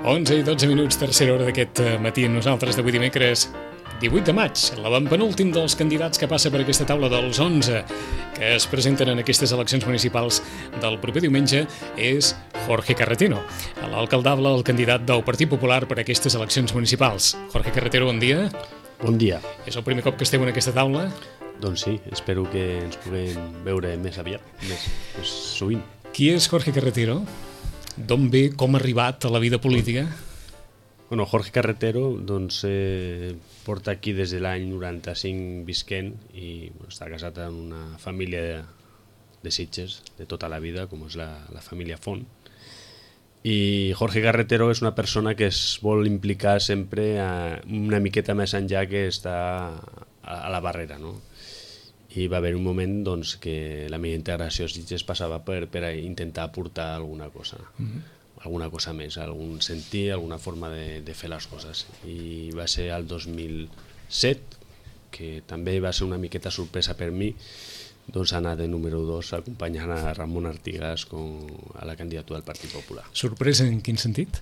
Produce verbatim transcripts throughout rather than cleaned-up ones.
onze i dotze minuts, tercera hora d'aquest matí amb nosaltres d'avui dimecres divuit de maig, l'avantpenúltim dels candidats que passa per aquesta taula dels onze que es presenten en aquestes eleccions municipals del proper diumenge és Jorge Carretero, l'alcaldable, el candidat del Partit Popular per a aquestes eleccions municipals. Jorge Carretero, bon dia. Bon dia. És el primer cop que esteu en aquesta taula? Doncs sí, espero que ens puguem veure més aviat, més, més sovint. Qui és Jorge Carretero? D'on ve, com ha arribat a la vida política? Bueno, Jorge Carretero doncs, eh, porta aquí des de l'any noranta-cinc visquent i bueno, està casat amb una família de, de Sitges de tota la vida, com és la, la família Font. I Jorge Carretero és una persona que es vol implicar sempre a, una miqueta més enllà que està a, a la barrera, no? I va haver un moment doncs, que la meva integració a Sitges passava per, per intentar aportar alguna cosa, mm-hmm. alguna cosa més, algun sentir, alguna forma de, de fer les coses. I va ser el dos mil set, que també va ser una miqueta sorpresa per mi, doncs anar de número dos acompanyant a Ramon Artigas com a la candidatura del Partit Popular. Sorpresa en quin sentit?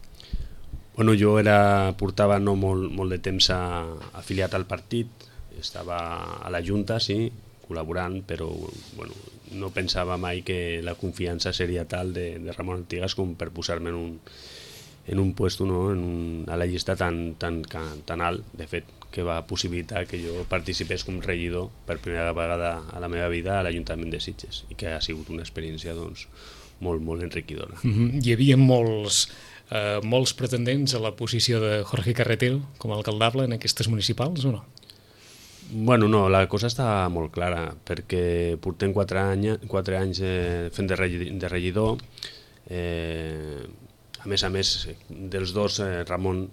Bueno, jo era, portava no molt, molt de temps a, afiliat al partit, estava a la Junta, sí, col·laborant, però bueno, no pensava mai que la confiança seria tal de, de Ramon Artigas com per posar-me en un, en un puesto, no? en un, a la llista tan, tan, tan alt, de fet, que va possibilitar que jo participés com regidor per primera vegada a la meva vida a l'Ajuntament de Sitges i que ha sigut una experiència doncs, molt, molt enriquidora. Mm-hmm. Hi havia molts, eh, molts pretendents a la posició de Jorge Carretero com a alcaldable en aquestes municipals o no? Bueno, no, la cosa està molt clara, perquè portem quatre, any, quatre anys eh, fent de regidor. Eh, a més a més, dels dos, eh, Ramon,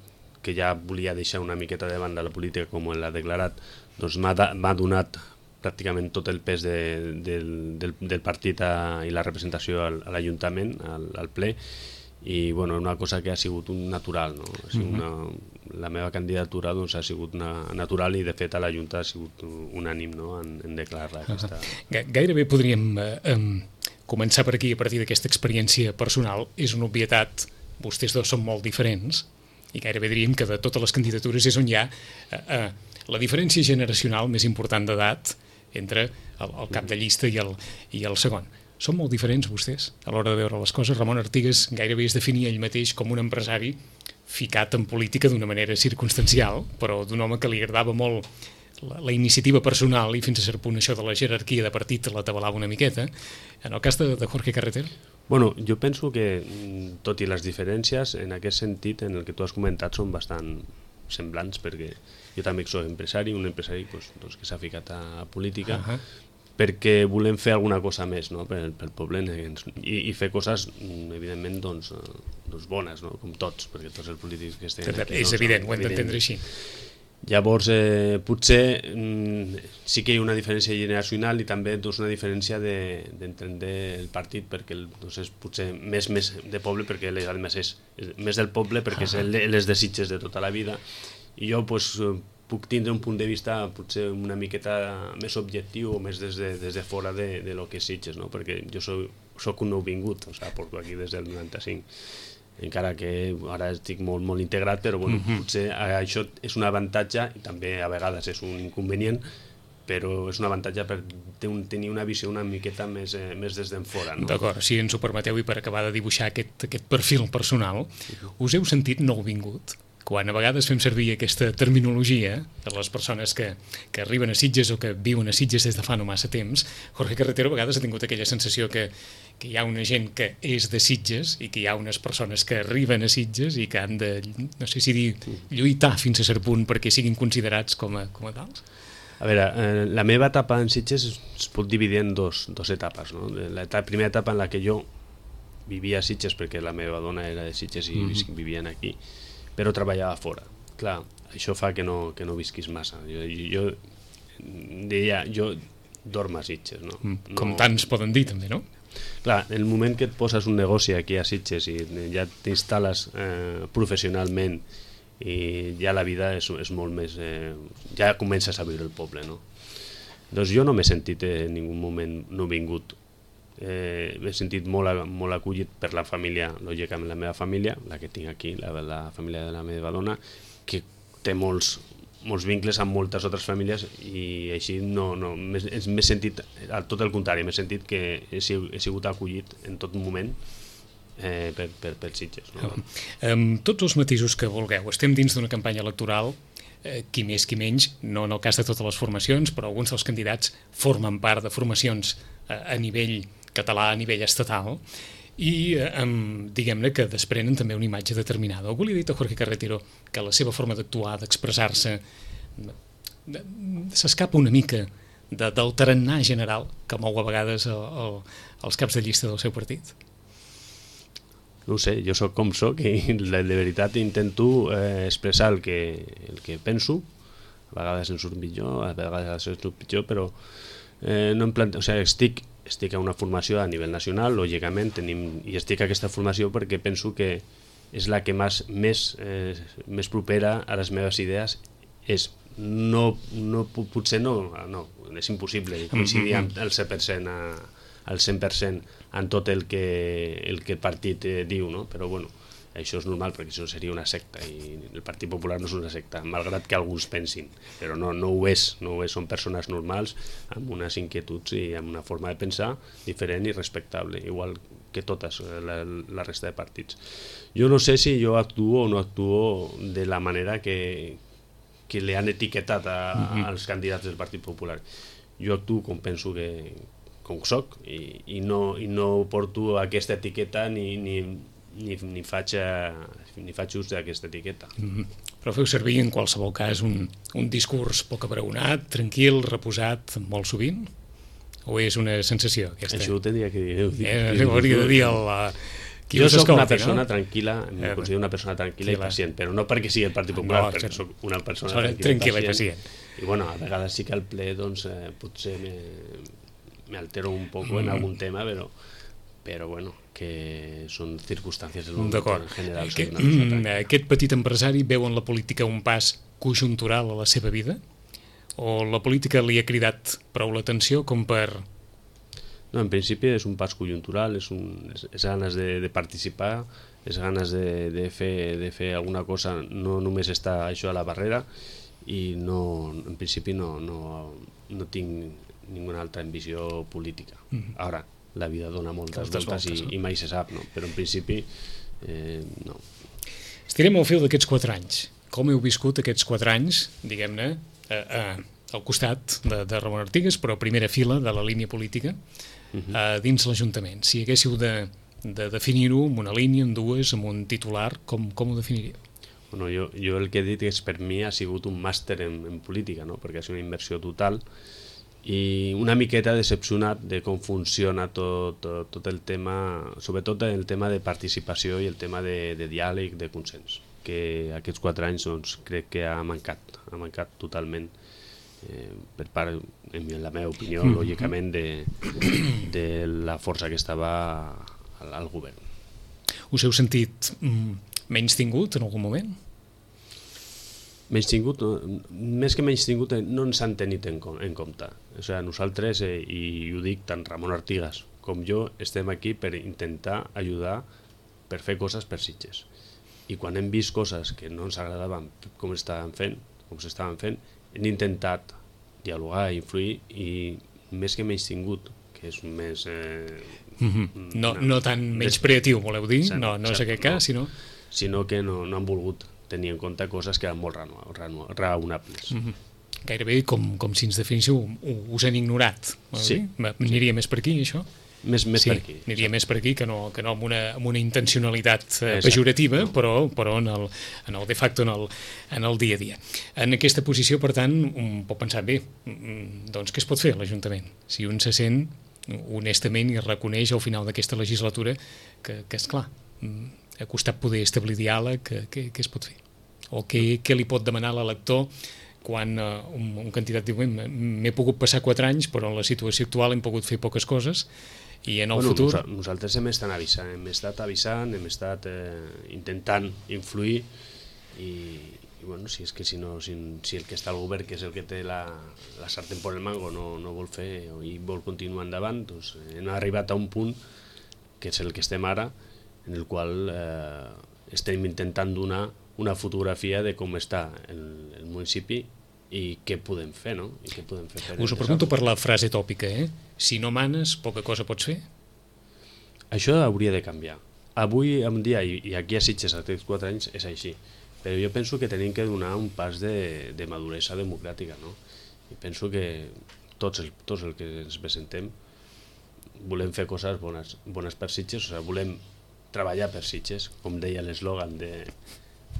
que ja volia deixar una miqueta de banda la política com l'ha declarat, doncs m'ha donat pràcticament tot el pes de, del, del, del partit a, i la representació al, a l'Ajuntament, al, al ple, i bueno, una cosa que ha sigut un natural, no? Ha sigut una, la meva candidatura doncs, ha sigut una natural i de fet a la Junta ha sigut unànim, no? en, en declarar aquesta... Gairebé podríem eh, eh, començar per aquí a partir d'aquesta experiència personal. És una obvietat, vostès dos són molt diferents i gairebé diríem que de totes les candidatures és on hi ha eh, eh, la diferència generacional més important d'edat entre el, el cap de llista i el, i el segon. Són molt diferents vostès a l'hora de veure les coses. Ramon Artigas gairebé es definia ell mateix com un empresari ficat en política d'una manera circumstancial, però d'un home que li agradava molt la, la iniciativa personal i fins a cert punt això de la jerarquia de partit la tabalava una miqueta. En el cas de, de Jorge Carretero? Bueno, jo penso que, tot i les diferències, en aquest sentit, en el que tu has comentat, són bastant semblants, perquè jo també soc empresari, un empresari doncs, doncs, que s'ha ficat a política, uh-huh. perquè volem fer alguna cosa més, no? pel, pel poble i, i fer coses, evidentment, doncs, doncs bones, no? Com tots, perquè tots els polítics que estem aquí... És doncs, evident, ho hem d'entendre així. Llavors, eh, potser mm, sí que hi ha una diferència generacional i també doncs, una diferència d'entendre de, el partit, perquè doncs, és potser més, més de poble, perquè més és més del poble, perquè és les de Sitges de tota la vida, i jo doncs, puc tindre un punt de vista potser una miqueta més objectiu o més des de, des de fora de, de lo que és Sitges, no? Perquè jo soc, soc un nouvingut, o sigui, porto aquí des del noranta-cinc, encara que ara estic molt, molt integrat, però bueno, mm-hmm. potser això és un avantatge i també a vegades és un inconvenient, però és un avantatge per tenir una visió una miqueta més, eh, més des d'en fora. No? D'acord, si ens ho permeteu i per acabar de dibuixar aquest, aquest perfil personal, mm-hmm. us heu sentit nouvingut? Quan a vegades fem servir aquesta terminologia de les persones que, que arriben a Sitges o que viuen a Sitges des de fa no massa temps, Jorge Carretero a vegades ha tingut aquella sensació que, que hi ha una gent que és de Sitges i que hi ha unes persones que arriben a Sitges i que han de, no sé si dir, lluitar fins a cert punt perquè siguin considerats com a, com a tals? A veure, eh, la meva etapa en Sitges es pot dividir en dos, dos etapes. No? La etapa, primera etapa en la que jo vivia a Sitges perquè la meva dona era de Sitges i mm-hmm. vivien aquí, però treballava fora. Clar, això fa que no, que no visquis massa. Jo, jo deia, jo dormo a Sitges, no? Com no... tants poden dir, també, no? Clar, el moment que et poses un negoci aquí a Sitges i ja t'instal·les eh, professionalment i ja la vida és, és molt més... Eh, ja comences a viure el poble, no? Doncs jo no m'he sentit en ningú moment no vingut eh, m'he sentit molt, molt acollit per la família, lògicament la meva família, la que tinc aquí, la, la família de la meva dona, que té molts, molts vincles amb moltes altres famílies, i així no, no, m'he sentit, al tot el contrari, m'he sentit que he, he sigut acollit en tot moment eh, per, per, per Sitges. No? Amb tots els matisos que vulgueu, estem dins d'una campanya electoral, eh, qui més qui menys, no en el cas de totes les formacions, però alguns dels candidats formen part de formacions eh, a nivell català, a nivell estatal, i eh, diguem-ne que desprenen també una imatge determinada. Algú li ha dit a Jorge Carretero que la seva forma d'actuar, d'expressar-se, s'escapa una mica de, del tarannà general que mou a vegades el, el, els caps de llista del seu partit? No ho sé, jo sóc com sóc i de veritat intento eh, expressar el que, el que penso. A vegades em surt millor, a vegades em surt pitjor, però eh, no em plante... o sigui, estic, estic a una formació a nivell nacional, lògicament, tenim... i estic a aquesta formació perquè penso que és la que més, més, eh, més propera a les meves idees. És, no, no, potser no, no, és impossible coincidir amb el cent per cent a, al cent per cent en tot el que el, que el partit eh, diu, no? Però bueno, això és normal perquè això seria una secta i el Partit Popular no és una secta, malgrat que alguns pensin, però no, no ho és, no ho és, són persones normals amb unes inquietuds i amb una forma de pensar diferent i respectable, igual que totes la, la resta de partits. Jo no sé si jo actuo o no actuo de la manera que, que li han etiquetat a, a, als candidats del Partit Popular. Jo actuo com penso que com soc i, i, no, i no porto aquesta etiqueta ni, ni, ni, ni, faig, ni faig ús d'aquesta etiqueta. Mm-hmm. Però feu servir en qualsevol cas un, un discurs poc abraonat, tranquil, reposat, molt sovint? O és una sensació aquesta? Això ho tindria que dir. Eh, ho hauria de dir el... Qui jo soc una escolti, persona no? tranquil·la, em eh, considero una persona tranquil·la i pacient, però no perquè sigui el Partit no, Popular, perquè soc una persona tranquil·la, tranquil·la i i pacient. pacient. I bueno, a vegades sí que al ple doncs, eh, potser me, me altero un poco en algun tema, però, però bueno, que són circumstàncies del moment en general. Aquest, mm, aquest petit empresari veu en la política un pas conjuntural a la seva vida? O la política li ha cridat prou l'atenció com per... No, en principi és un pas conjuntural, és, un, és, és ganes de, de participar, és ganes de, de, fer, de fer alguna cosa, no només està això a la barrera, i no, en principi no, no, no tinc ninguna altra ambició política. Mm-hmm. Ara, la vida dona moltes voltes, voltes i, no? i mai se sap, no? Però en principi eh, no. Estirem al fil d'aquests quatre anys. Com heu viscut aquests quatre anys, diguem-ne, eh, eh, al costat de, de Ramon Artigas, però a primera fila de la línia política, uh-huh. eh, dins l'Ajuntament? Si haguéssiu de, de definir-ho amb una línia, amb dues, amb un titular, com, com ho definiríeu? Bueno, jo, jo el que he dit és per mi ha sigut un màster en, en política, no? Perquè ha sigut una inversió total i una miqueta decepcionat de com funciona tot, tot, tot el tema, sobretot el tema de participació i el tema de, de diàleg, de consens, que aquests quatre anys doncs, crec que ha mancat, ha mancat totalment eh, per part, en la meva opinió, mm. lògicament, de, de la força que estava al, al govern. Us heu sentit mm, menys tingut en algun moment? Menys tingut, no, més que menys tingut, no ens han tenit en, en compte. O sigui, nosaltres, eh, i ho dic, tant Ramon Artigas com jo, estem aquí per intentar ajudar per fer coses per Sitges. I quan hem vist coses que no ens agradaven com estaven fent, com s'estaven fent, hem intentat dialogar, influir, i més que menys tingut, que és més... Eh, mm-hmm. no, no tan menys creatiu, voleu dir? Cert, no, no és aquest cas, no, sinó... Sinó que no, no han volgut tenir en compte coses que eren molt raonables. Mm-hmm. Gairebé com, com si ens definíssiu, us han ignorat. Sí. Aniria sí. més per aquí, això? Més, més sí, per aquí. Aniria sí. més per aquí que no, que no amb, una, amb una intencionalitat eh, pejorativa, no. però, però en, el, en el de facto, en el, en el dia a dia. En aquesta posició, per tant, un pot pensar, bé, doncs què es pot fer a l'Ajuntament? Si un se sent honestament i reconeix al final d'aquesta legislatura que, que és clar, ha costat poder establir diàleg, què, què, què es pot fer? O què, què li pot demanar l'elector quan uh, un, un candidat diu m'he pogut passar quatre anys però en la situació actual hem pogut fer poques coses i en el bueno, futur... Nos, nosaltres hem estat avisant, hem estat avisant, hem estat eh, intentant influir i, i bueno, si és que si, no, si, si el que està al govern, que és el que té la, la sartén por el mango, no, no vol fer i vol continuar endavant, doncs hem arribat a un punt que és el que estem ara, en el qual eh, estem intentant donar una fotografia de com està el, el municipi i què podem fer, no? I què podem fer per Us ho pregunto per la frase tòpica, eh? Si no manes, poca cosa pots fer? Això hauria de canviar. Avui en dia, i aquí a Sitges a aquests quatre anys, és així. Però jo penso que tenim que donar un pas de, de maduresa democràtica, no? I penso que tots, el, tots els que ens presentem volem fer coses bones, bones per Sitges, o sigui, volem treballar per Sitges, com deia l'eslògan de,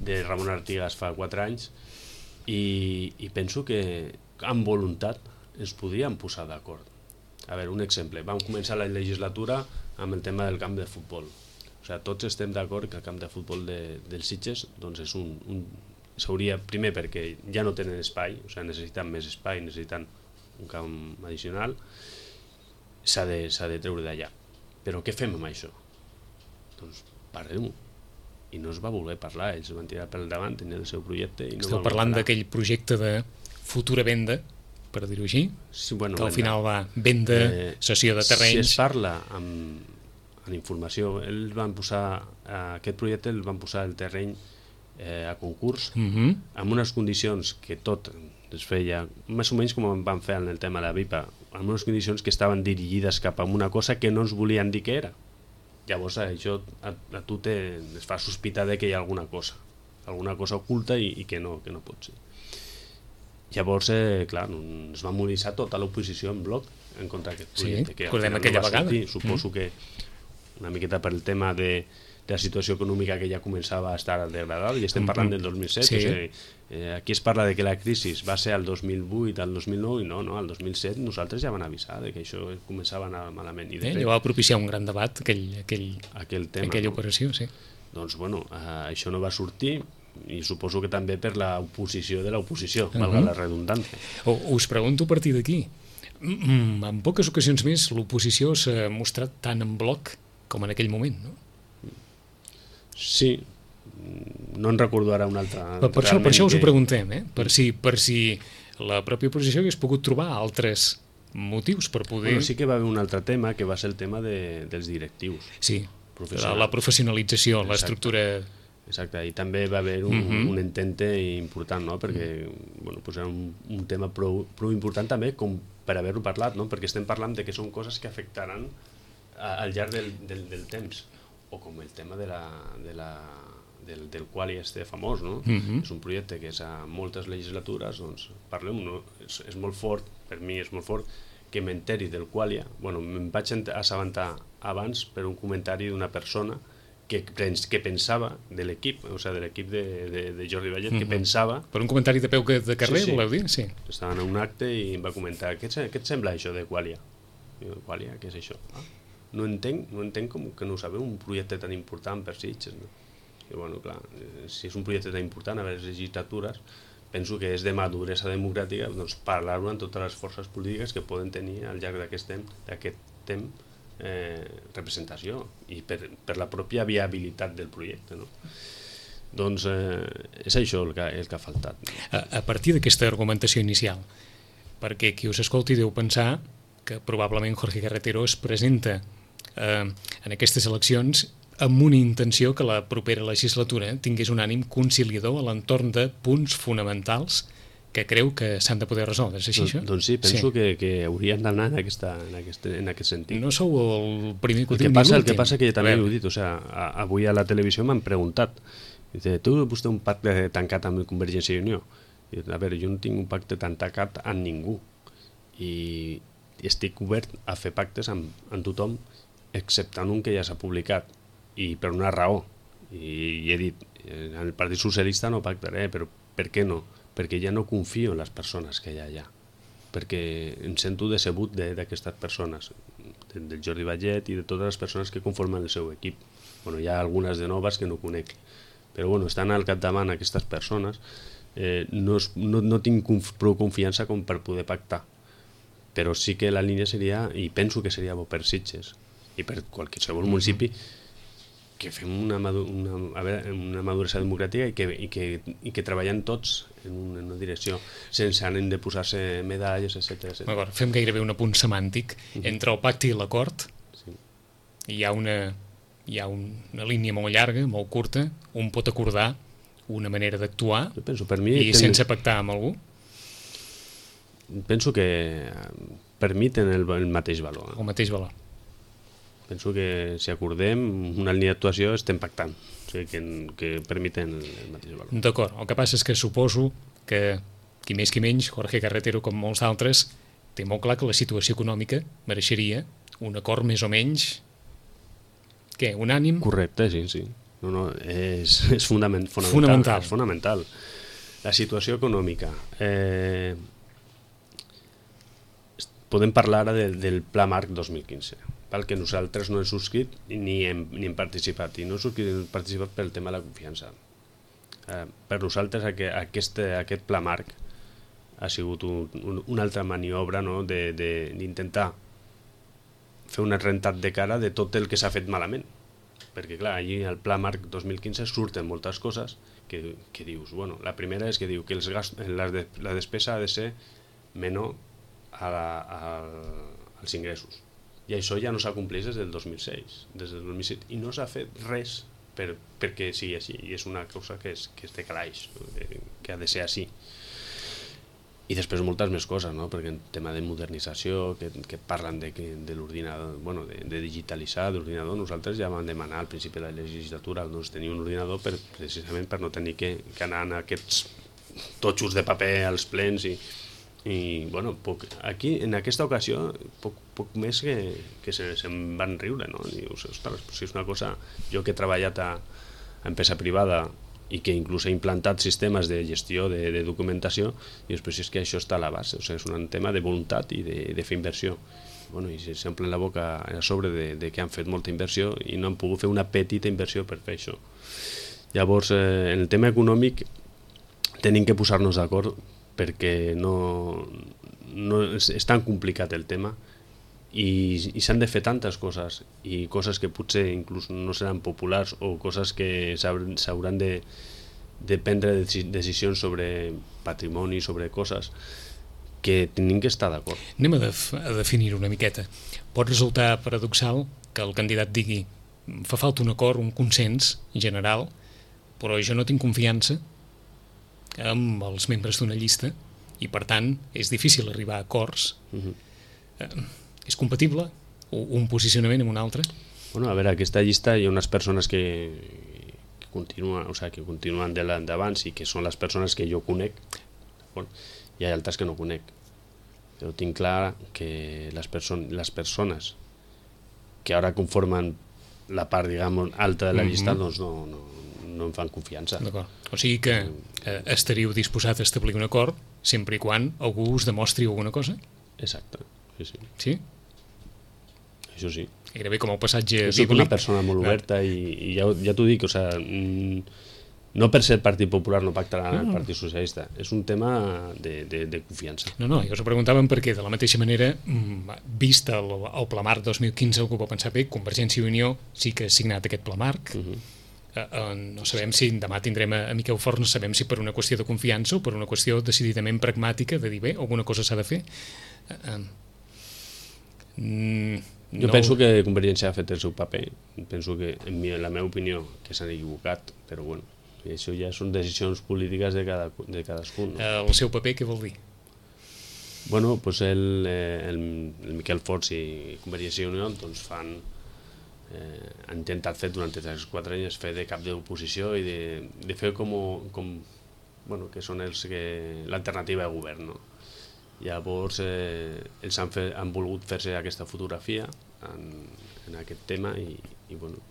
de Ramon Artigas fa quatre anys, i, i penso que amb voluntat ens podríem posar d'acord. A veure, un exemple, vam començar la legislatura amb el tema del camp de futbol. O sigui, tots estem d'acord que el camp de futbol de, dels Sitges doncs és un, un s'hauria, primer perquè ja no tenen espai, o sigui, necessiten més espai, necessiten un camp addicional, s'ha de, s'ha de treure d'allà. Però què fem amb això? Doncs parlem-ho. I no es va voler parlar, ells van tirar pel davant, tenien el seu projecte i no Esteu parlant d'aquell projecte de futura venda, per dir-ho així, sí, bueno, que al venda. final va venda, eh, cessió de terrenys... Si es parla amb en informació, ells van posar aquest projecte, el van posar el terreny eh, a concurs, uh -huh. amb unes condicions que tot es feia, més o menys com van fer en el tema de la V I P A, amb unes condicions que estaven dirigides cap a una cosa que no ens volien dir què era. Llavors això a, a tu te, es fa sospitar de que hi ha alguna cosa, alguna cosa oculta i, i que, no, que no pot ser. Llavors, eh, clar, es va mobilitzar tota l'oposició en bloc en contra d'aquest projecte. Sí, que recordem aquella no vegada. Sortir, suposo mm. que una miqueta per el tema de, de la situació econòmica que ja començava a estar degradada, i estem parlant del dos mil set, sí. O sigui, eh, aquí es parla de que la crisi va ser al dos mil vuit, al dos mil nou, i no, no, al dos mil set nosaltres ja van avisar de que això començava a anar malament. I de eh, fet, va propiciar un gran debat, aquell, aquell, aquell tema, aquella no? operació, sí. Doncs, bueno, eh, això no va sortir, i suposo que també per l'oposició de l'oposició, uh -huh. valga la redundància. O, us pregunto a partir d'aquí, mm, en poques ocasions més l'oposició s'ha mostrat tan en bloc com en aquell moment, no? Sí, no en recordo ara un altre... Per, per, això, per això us ho preguntem, eh? per, si, per si la pròpia oposició hagués pogut trobar altres motius per poder... Bueno, sí que va haver un altre tema, que va ser el tema de, dels directius. Sí, la, la professionalització, l'estructura... Exacte, i també va haver un, uh -huh. un intente important, no? Perquè bueno, pues era un, un tema prou, prou important també com per haver-ho parlat, no? Perquè estem parlant de que són coses que afectaran a, al llarg del, del, del temps, o com el tema de la, de la, del, del Qualia este famós, no? Uh -huh. És un projecte que és a moltes legislatures, doncs parlem, no? És, és molt fort, per mi és molt fort, que m'enteri del Qualia. Bueno, me'n vaig assabentar abans per un comentari d'una persona que, que pensava de l'equip, o sigui, de l'equip de, de, de Jordi Vallet, uh -huh. que pensava... Per un comentari de peu de carrer, sí, sí. voleu dir? Sí. Estaven en un acte i em va comentar, què et, què et sembla això de Qualia? I jo, Qualia, què és això? Ah, no entenc, no entenc com que no sabeu un projecte tan important per Sitges, no? I bueno, clar, si és un projecte tan important a les legislatures, penso que és de maduresa democràtica doncs, parlar-ho amb totes les forces polítiques que poden tenir al llarg d'aquest temps, d'aquest temps eh, representació i per, per la pròpia viabilitat del projecte, no? Doncs eh, és això el que, el que ha faltat. A, a partir d'aquesta argumentació inicial, perquè qui us escolti deu pensar que probablement Jorge Carretero es presenta eh, en aquestes eleccions amb una intenció que la propera legislatura tingués un ànim conciliador a l'entorn de punts fonamentals que creu que s'han de poder resoldre. És així, doncs, això? Doncs sí, penso sí. que, que haurien d'anar en, aquesta, en, aquest, en aquest sentit. No sou el primer que ho el que passa, El que passa que també ho he dit, o sigui, a, avui a la televisió m'han preguntat, dice, tu vostè un pacte tancat amb Convergència i Unió? I, a veure, jo no tinc un pacte tan tancat amb ningú i estic obert a fer pactes amb, amb tothom, exceptant un que ja s'ha publicat, i per una raó, i, i he dit, en el Partit Socialista no pactaré, però per què no? Perquè ja no confio en les persones que hi ha allà, perquè em sento decebut d'aquestes persones, del Jordi Vallet i de totes les persones que conformen el seu equip. Bueno, hi ha algunes de noves que no conec, però bueno, estan al capdavant aquestes persones, eh, no, es, no, no tinc conf, prou confiança com per poder pactar, però sí que la línia seria, i penso que seria bo per Sitges, i per qualsevol municipi, que fem una, madu una, a veure, una maduresa democràtica i que, i que, i que treballen tots en una, en una direcció, sense ànim de posar-se medalles, etcètera. D'acord, fem gairebé un apunt semàntic. Uh-huh. Entre el pacte i l'acord sí. hi ha, una, hi ha un, una línia molt llarga, molt curta, un pot acordar una manera d'actuar i ten... sense pactar amb algú? Penso que per mi tenen el, el mateix valor. El mateix valor. Penso que si acordem una línia d'actuació estem pactant, o sigui que, que permeten el, el mateix valor. D'acord, el que passa és que suposo que qui més qui menys, Jorge Carretero com molts altres, té molt clar que la situació econòmica mereixeria un acord més o menys, què, unànim? Correcte, sí, sí. No, no, és, és fundament, fonamental, fonamental. És fonamental. La situació econòmica. Eh, podem parlar ara del, del Pla Marc dos mil quinze, pel que nosaltres no hem subscrit ni hem, ni hem participat, i no hem participat pel tema de la confiança. Eh, per nosaltres aquest, aquest Pla Marc ha sigut un, un, una altra maniobra, no? d'intentar fer un rentat de cara de tot el que s'ha fet malament. Perquè clar, allí al Pla Marc dos mil quinze surten moltes coses que, que dius, bueno, la primera és que diu que els gast, la, de, la despesa ha de ser menor a la, a, als ingressos. I això ja no s'ha complert des del dos mil sis, des del dos mil set, i no s'ha fet res per, perquè sigui així, i és una cosa que és, que és de calaix, que ha de ser així. I després moltes més coses, no? Perquè en tema de modernització, que, que parlen de, de l'ordinador, bueno, de, de digitalitzar l'ordinador, nosaltres ja vam demanar al principi de la legislatura doncs, tenir un ordinador per, precisament per no tenir que, que anar en aquests totxos de paper als plens i, i bueno, poc, aquí en aquesta ocasió poc, poc més que, que se, se'n van riure, no? I dius, ostres, si és una cosa, jo que he treballat a, a empresa privada i que inclús he implantat sistemes de gestió de, de documentació, i després és que això està a la base, o sigui, és un tema de voluntat i de, de fer inversió. Bueno, i s'omplen la boca a sobre de, de que han fet molta inversió i no han pogut fer una petita inversió per fer això. Llavors, eh, en el tema econòmic tenim que posar-nos d'acord perquè no, no és, és tan complicat el tema i, i s'han de fer tantes coses i coses que potser inclús no seran populars o coses que s'hauran de, de prendre decisions sobre patrimoni, sobre coses que tenim que estar d'acord. Anem a, def a definir una miqueta. Pot resultar paradoxal que el candidat digui fa falta un acord, un consens general, però jo no tinc confiança amb els membres d'una llista i per tant és difícil arribar a acords. Uh-huh. eh, és compatible un posicionament amb un altre? Bueno, a veure, aquesta llista hi ha unes persones que, que, continuen, o sigui, que continuen de l'endavant i que són les persones que jo conec, bueno, hi ha altres que no conec, però tinc clar que les, perso les persones que ara conformen la part, diguem, alta de la llista, mm-hmm. doncs no, no, no em fan confiança. D'acord. O sigui que eh, estaríeu disposat a establir un acord sempre i quan algú us demostri alguna cosa? Exacte, sí, sí. Sí? Això sí. Gairebé com el passatge bíblic. Soc una persona molt oberta i, i ja, ja t'ho dic, o sigui, no per ser el Partit Popular no pactarà no. el Partit Socialista, és un tema de, de, de confiança. No, no, jo us ho preguntàvem perquè de la mateixa manera, vist el, el Pla Marc dos mil quinze, algú va pensar, bé, Convergència i Unió sí que ha signat aquest Pla Marc, uh-huh. eh, eh, no sabem si demà tindrem a, a Miquel Forn, no sabem si per una qüestió de confiança o per una qüestió decididament pragmàtica de dir, bé, alguna cosa s'ha de fer. Eh, eh, mm, Jo no. penso que Convergència ha fet el seu paper, penso que, en, mi, en la meva opinió, que s'han equivocat, però bueno, això ja són decisions polítiques de, cada, de cadascun. No? El seu paper què vol dir? Bueno, pues el, el, el Miquel Forn i Convergència i Unió doncs fan, eh, han intentat fer durant aquests quatre anys fer de cap d'oposició i de, de fer com, com bueno, que són els que l'alternativa de govern, no? Llavors eh, ells han, fet, han volgut fer-se aquesta fotografia en, en aquest tema i, i bueno,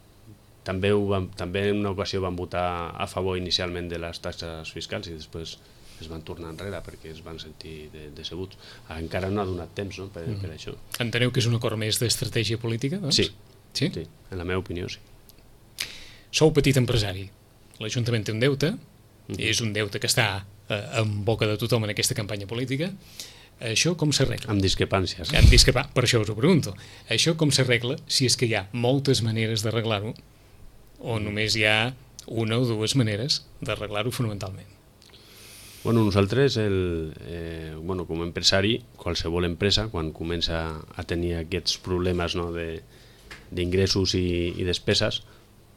també, ho van, també en una ocasió van votar a favor inicialment de les taxes fiscals i després es van tornar enrere perquè es van sentir de, decebuts. Encara no ha donat temps, no, per, mm. per això. Enteneu que és un acord més d'estratègia política, doncs? Sí. Sí? Sí, en la meva opinió sí. Sou petit empresari, l'Ajuntament té un deute, mm-hmm. és un deute que està eh, en boca de tothom en aquesta campanya política. Això com s'arregla? Amb discrepàncies. Amb discrepà... Per això us ho pregunto. Això com s'arregla si és que hi ha moltes maneres d'arreglar-ho o només hi ha una o dues maneres d'arreglar-ho fonamentalment? Bueno, nosaltres, el, eh, bueno, com a empresari, qualsevol empresa, quan comença a tenir aquests problemes, no, de, d'ingressos i, i despeses,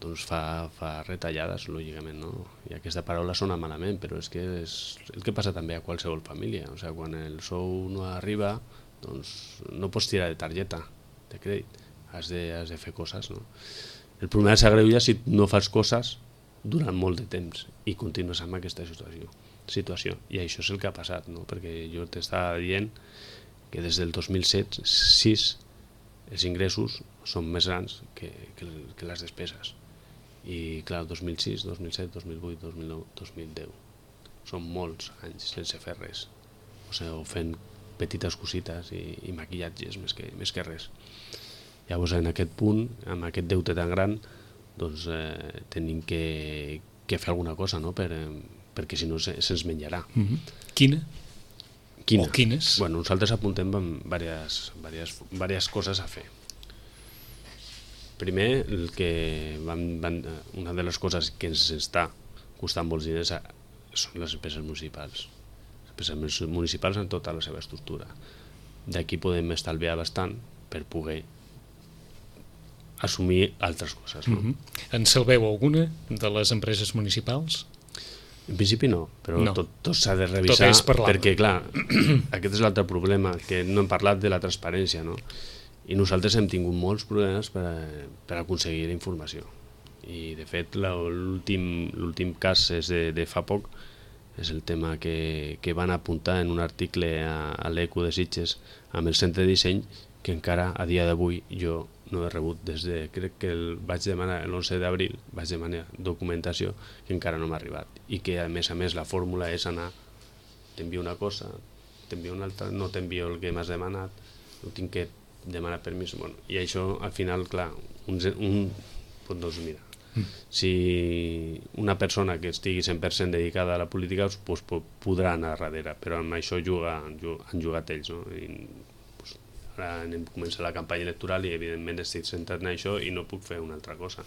doncs fa, fa retallades, lògicament, no? I aquesta paraula sona malament, però és que és el que passa també a qualsevol família. O sigui, quan el sou no arriba, doncs no pots tirar de targeta de crèdit, has de, has de fer coses, no? El problema s'agreuja si no fas coses durant molt de temps i continues amb aquesta situació. situació. I això és el que ha passat, no? Perquè jo t'estava dient que des del dos mil set sis els ingressos són més grans que, que, que les despeses. I clar, dos mil sis, dos mil set, dos mil vuit, dos mil nou, dos mil deu són molts anys sense fer res, o sigui, o fent petites cosites i, i maquillatges més que, més que res. Llavors, en aquest punt, amb aquest deute tan gran, doncs eh, tenim que, que fer alguna cosa, no? Per, perquè si no se, se'ns menjarà. Mm-hmm. Quina? Quina? O quines? Bueno, nosaltres apuntem amb diverses, diverses, diverses coses a fer. Primer, el que van, van, una de les coses que ens està costant molts diners són les empreses municipals. Les empreses municipals en tota la seva estructura. D'aquí podem estalviar bastant per poder assumir altres coses. No? Mm-hmm. En salveu alguna de les empreses municipals? En principi no, però no. tot, tot s'ha de Tot revisar és perquè, clar, aquest és l'altre problema, que no hem parlat de la transparència, no? I nosaltres hem tingut molts problemes per, a, per aconseguir la informació. I, de fet, l'últim cas és de, de fa poc, és el tema que, que van apuntar en un article a, a l'Eco de Sitges amb el centre de disseny, que encara a dia d'avui jo no he rebut des de, crec que el vaig demanar l'onze d'abril, vaig demanar documentació que encara no m'ha arribat i que a més a més la fórmula és anar, t'envio una cosa, t'envio una altra, no t'envio el que m'has demanat, no tinc que demanar permís, bueno, i això al final, clar, un, un doncs mira, mm. si una persona que estigui cent per cent dedicada a la política doncs, podrà anar darrere, però amb això juga, han jugat ells, no? I, ara anem a començar la campanya electoral i evidentment estic centrat en això i no puc fer una altra cosa.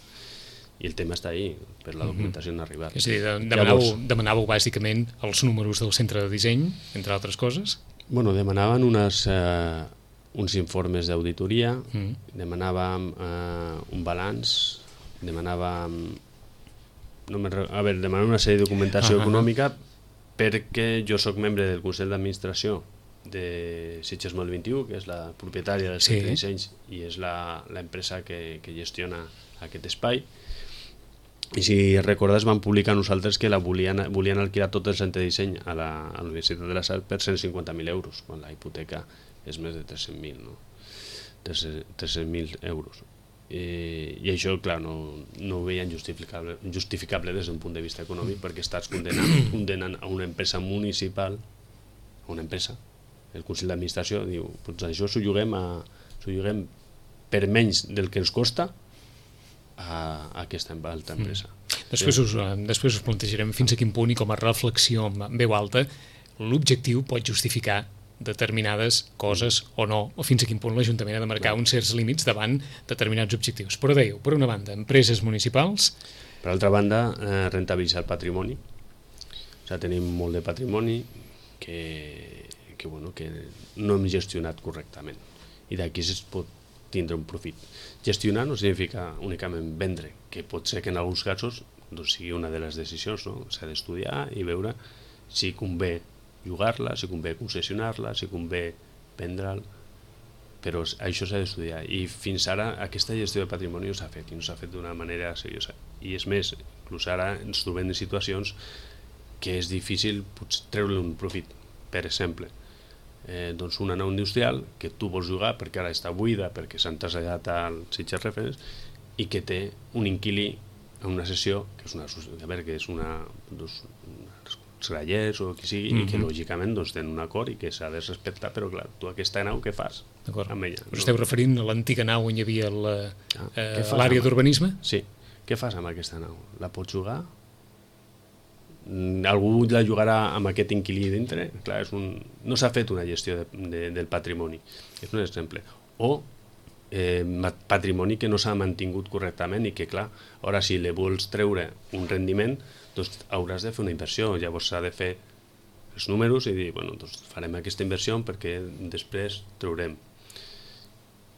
I el tema està ahí, per la documentació no ha arribat. És a dir, demanàveu, Llavors, demanàveu bàsicament els números del centre de disseny, entre altres coses? Bueno, demanaven unes, eh, uns informes d'auditoria, mm. demanàvem eh, un balanç, demanàvem... No me, a veure, demanàvem una sèrie de documentació ah, econòmica perquè jo sóc membre del Consell d'Administració de Sitges Mòbil vint i u, que és la propietària del centre sí. de dissenys i és l'empresa que, que gestiona aquest espai. I si recordes, van publicar nosaltres que la volien, volien alquilar tot el centre de disseny a la, a la Universitat de la Sal per cent cinquanta mil euros, quan la hipoteca és més de tres-cents mil, no? tres-cents mil euros. I, i això, clar, no, no ho veien justificable, justificable des d'un punt de vista econòmic perquè estàs condenant, condenant a una empresa municipal, a una empresa, el Consell d'Administració diu, doncs això s'ho lloguem, a, s'ho lloguem per menys del que ens costa a, a aquesta altra empresa. Mm. Després, us, després us plantejarem fins a quin punt i com a reflexió en veu alta l'objectiu pot justificar determinades coses o no, o fins a quin punt l'Ajuntament ha de marcar uns certs límits davant determinats objectius. Però dèieu, per una banda, empreses municipals... Per altra banda, eh, rentabilitzar el patrimoni. O sigui, tenim molt de patrimoni que... que, bueno, que no hem gestionat correctament i d'aquí es pot tindre un profit. Gestionar no significa únicament vendre, que pot ser que en alguns casos doncs, sigui una de les decisions, no? S'ha d'estudiar i veure si convé llogar-la, si convé concessionar-la, si convé vendre'l, però això s'ha d'estudiar i fins ara aquesta gestió de patrimoni no s'ha fet i no s'ha fet d'una manera seriosa i és més, inclús ara ens trobem en situacions que és difícil treure un profit. Per exemple, Eh, doncs una nau industrial que tu vols jugar perquè ara està buida, perquè s'han traslladat al Sitges Reference i que té un inquilí en una sessió que és una, a veure, que és una, doncs, uns grallers o qui sigui, mm-hmm. i que lògicament doncs, tenen un acord i que s'ha de respectar, però clar, tu aquesta nau què fas amb ella? Us esteu referint a l'antiga nau on hi havia l'àrea d'urbanisme? Sí, què fas amb aquesta nau? La pots jugar? Algú la jugarà amb aquest inquilí dintre? Clar, és un... no s'ha fet una gestió de, de, del patrimoni, és un exemple. O eh, patrimoni que no s'ha mantingut correctament i que, clar, ara si li vols treure un rendiment, doncs hauràs de fer una inversió. Llavors s'ha de fer els números i dir, bueno, doncs farem aquesta inversió perquè després treurem.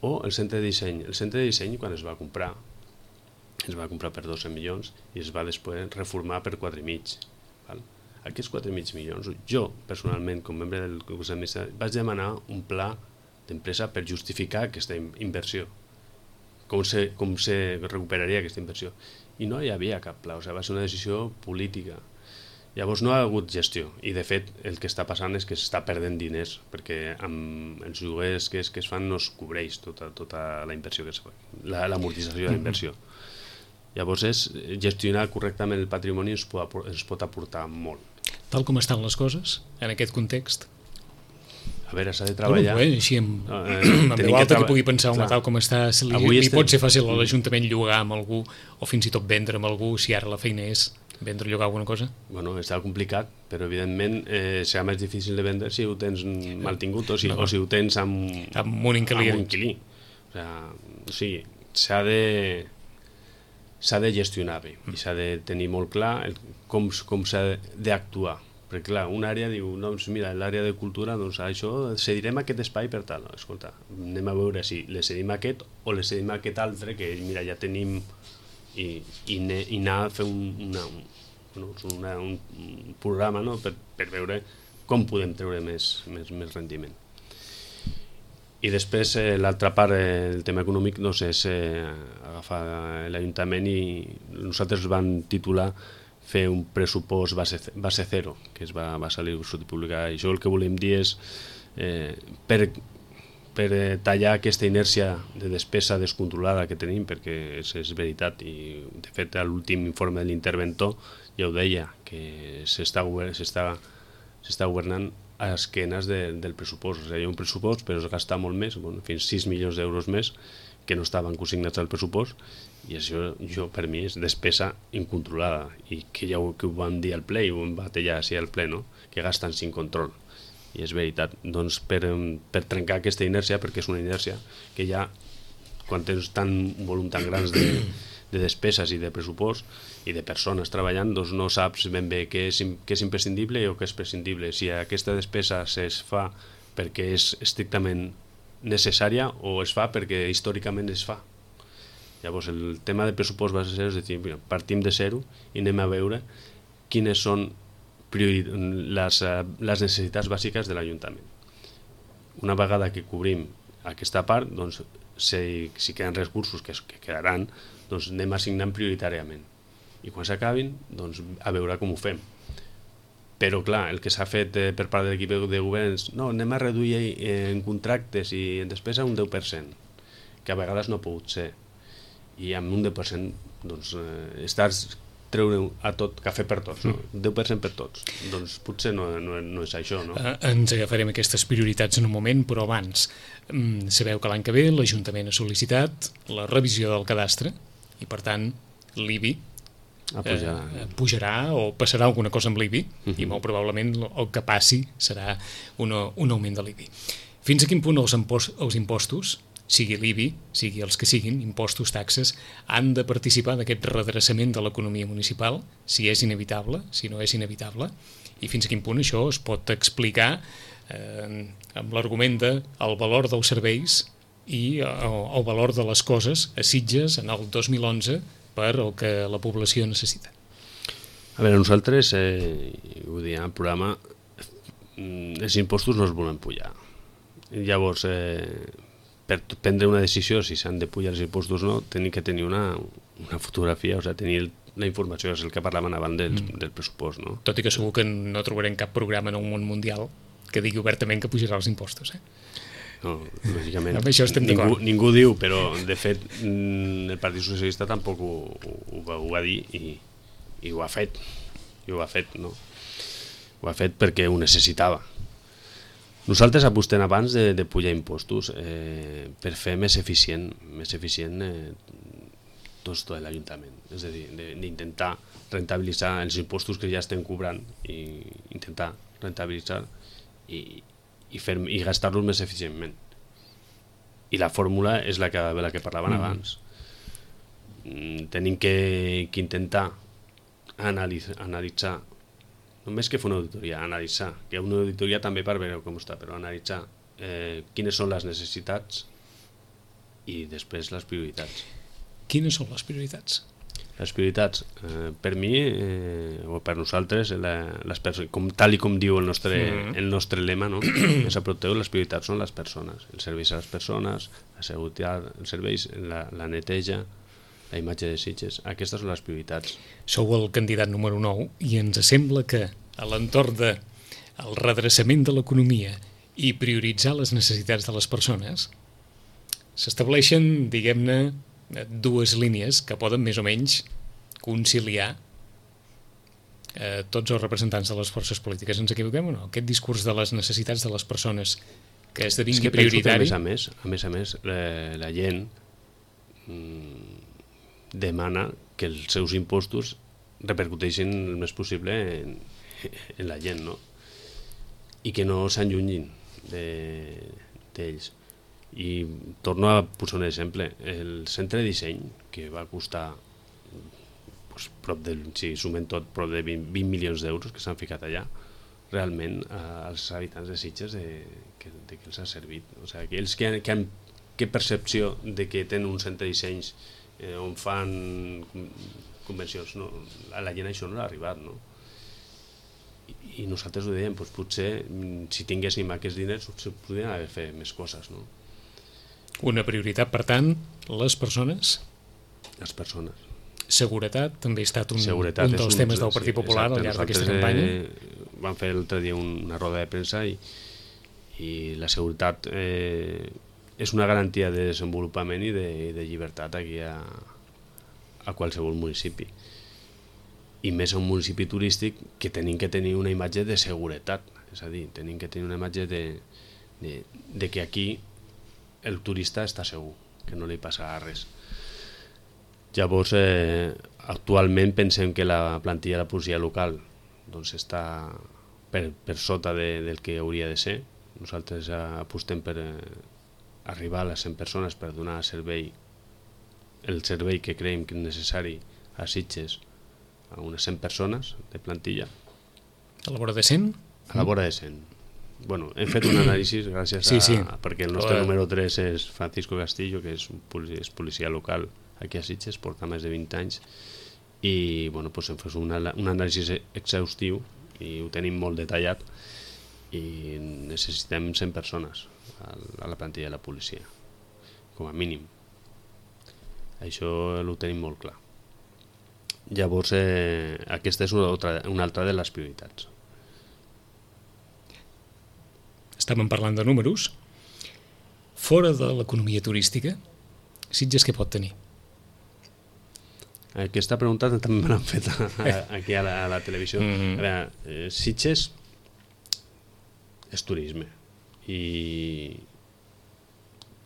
O el centre de disseny. El centre de disseny, quan es va comprar, es va comprar per dotze milions i es va després reformar per quatre i mig. Val? Aquests quatre i mig milions, jo personalment, com membre del Consell d'Administració, vaig demanar un pla d'empresa per justificar aquesta inversió. Com se, com se recuperaria aquesta inversió. I no hi havia cap pla, o sigui, va ser una decisió política. Llavors no ha hagut gestió i de fet el que està passant és que s'està perdent diners perquè amb els lloguers que es, que es fan no es cobreix tota, tota la inversió que es fa, la, l'amortització de la inversió. Llavors és gestionar correctament el patrimoni ens pot, ens pot aportar molt. Tal com estan les coses en aquest context? A veure, s'ha de treballar... Bé, així amb, eh, amb veu alta que, que pugui pensar una tal com està, li, li estem... pot ser fàcil a l'Ajuntament llogar amb algú o fins i tot vendre amb algú si ara la feina és vendre o llogar alguna cosa? Bueno, està complicat, però evidentment eh, serà més difícil de vendre si ho tens mal tingut o si, no. o si ho tens amb, amb un inquilí. Amb un inquilí. O, sea, o sigui, s'ha de... s'ha de gestionar bé i s'ha de tenir molt clar el, com, com s'ha d'actuar. Perquè clar, una àrea diu, no, doncs mira, l'àrea de cultura, doncs això, cedirem aquest espai per tal. No, escolta, anem a veure si le cedim aquest o le cedim aquest altre que mira, ja tenim i, i, ne, i anar a fer un, una, un, una, un, un programa, no? per, per veure com podem treure més, més, més rendiment. I després eh, l'altra part, eh, el tema econòmic, doncs és eh, agafar l'Ajuntament i nosaltres vam titular fer un pressupost base, base zero, que es va, va salir sortir publicar. I això el que volem dir és eh, per, per eh, tallar aquesta inèrcia de despesa descontrolada que tenim, perquè és, és veritat, i de fet a l'últim informe de l'interventor ja ho deia, que s'està s'està governant a esquenes de, del pressupost. O sigui, hi ha un pressupost, però es gasta molt més, bueno, fins sis milions d'euros més, que no estaven consignats al pressupost, i això jo, per mi és despesa incontrolada, i que ja ho, que ho vam dir al ple, i ho vam batallar així al ple, no? Que gasten sin control. I és veritat. Doncs per, per trencar aquesta inèrcia, perquè és una inèrcia que ja, quan tens tant, un volum tan grans de, de despeses i de pressupost i de persones treballant, doncs no saps ben bé què és, què és imprescindible o què és prescindible. Si aquesta despesa es fa perquè és estrictament necessària o es fa perquè històricament es fa. Llavors el tema de pressupost va ser és dir, partim de zero i anem a veure quines són les, les necessitats bàsiques de l'Ajuntament. Una vegada que cobrim aquesta part, doncs, si, si queden recursos que, que quedaran, doncs anem assignant prioritàriament. I quan s'acabin, doncs, a veure com ho fem. Però, clar, el que s'ha fet eh, per part de l'equip de govern és no, anem a reduir eh, en contractes i en despesa un deu per cent, que a vegades no ha pogut ser. I amb un deu per cent doncs, eh, estàs treure a tot, cafè per tots, no? deu per cent per tots. Doncs potser no, no, no és això, no? Eh, ens agafarem aquestes prioritats en un moment, però abans mm, sabeu que l'any que ve l'Ajuntament ha sol·licitat la revisió del cadastre i, per tant, l'I B I Ah, pujarà. Eh, pujarà o passarà alguna cosa amb l'I B I uh-huh. i molt probablement el que passi serà una, un augment de l'I B I. Fins a quin punt els, impost, els impostos, sigui l'I B I, sigui els que siguin, impostos, taxes, han de participar d'aquest redreçament de l'economia municipal, si és inevitable, si no és inevitable, i fins a quin punt això es pot explicar eh, amb l'argument de el valor dels serveis i el, el valor de les coses a Sitges en el dos mil onze per el que la població necessita. A veure, nosaltres, eh, ho diem al programa, els impostos no es volen pujar. Llavors, eh, per prendre una decisió si s'han de pujar els impostos o no, tenim que tenir una, una fotografia, o sigui, tenir la informació, és el que parlaven abans del, mm. del pressupost, no? Tot i que segur que no trobarem cap programa en el món mundial que digui obertament que pujarà els impostos, eh? No, lògicament, amb això estem ningú, ningú diu, però de fet el Partit Socialista tampoc ho, ho, va, ho va dir i, i ho ha fet, i ho ha fet, no? Ho ha fet perquè ho necessitava. Nosaltres apostem abans de, de pujar impostos eh, per fer més eficient, més eficient eh, tot, tot l'Ajuntament, és a dir, d'intentar rentabilitzar els impostos que ja estem cobrant i intentar rentabilitzar i i, fer, i gastar-los més eficientment. I la fórmula és la que, la que parlaven mm. abans. Mm, tenim que, que intentar analitzar, analitzar, només que fer una auditoria, analitzar, que una auditoria també per veure com està, però analitzar eh, quines són les necessitats i després les prioritats. Quines són les prioritats? Les prioritats, eh, per mi, eh, o per nosaltres, la, les com, tal i com diu el nostre, mm. el nostre lema, no? Els Aproteu, les prioritats són les persones, els serveis a les persones, la seguretat, els serveis, la, la neteja, la imatge de Sitges. Aquestes són les prioritats. Sou el candidat número nou i ens sembla que a l'entorn del redreçament de l'economia i prioritzar les necessitats de les persones s'estableixen, diguem-ne, dues línies que poden més o menys conciliar eh, tots els representants de les forces polítiques. Ens equivoquem o no? Aquest discurs de les necessitats de les persones que esdevingui és que prioritari... Que a més a més, a més, a més la, la gent mmm, demana que els seus impostos repercuteixin el més possible en, en la gent, no? I que no s'allunyin d'ells. De, I torno a posar un exemple. El centre de disseny, que va costar pues, prop de, si sumem tot, prop de vint, vint milions d'euros que s'han ficat allà, realment als habitants de Sitges de, que, de que els ha servit. O sigui, que ells que han, que han que percepció de que tenen un centre de dissenys eh, on fan convencions, no? A la gent això no l'ha arribat, no? I, i nosaltres ho dèiem, doncs potser si tinguéssim aquests diners potser podríem haver fet més coses, no? Una prioritat, per tant, les persones? Les persones. Seguretat també ha estat un, Seguretat un dels un, temes del Partit Popular al llarg d'aquesta campanya. Eh, vam fer l'altre dia una roda de premsa i, i la seguretat eh, és una garantia de desenvolupament i de, de llibertat aquí a, a qualsevol municipi. I més a un municipi turístic que tenim que tenir una imatge de seguretat. És a dir, tenim que tenir una imatge de, de, de que aquí el turista està segur, que no li passarà res. Llavors, eh, actualment pensem que la plantilla de la policia local doncs, està per, per sota de, del que hauria de ser. Nosaltres apostem per eh, arribar a les cent persones per donar servei, el servei que creiem que és necessari a Sitges a unes cent persones de plantilla. A la vora de cent? A la vora de cent. Bueno, hem fet un anàlisi gràcies a... Sí, sí. Perquè el nostre número tres és Francisco Castillo, que és, un policia, és policia local aquí a Sitges, porta més de vint anys, i bueno, doncs hem fet un, un anàlisi exhaustiu i ho tenim molt detallat i necessitem cent persones a la plantilla de la policia, com a mínim. Això ho tenim molt clar. Llavors, eh, aquesta és una altra, una altra de les prioritats. Estàvem parlant de números. Fora de l'economia turística, Sitges què pot tenir? Aquesta pregunta també me l'han fet a, a, aquí a la, a la televisió. Mm-hmm. A veure, eh, Sitges és turisme i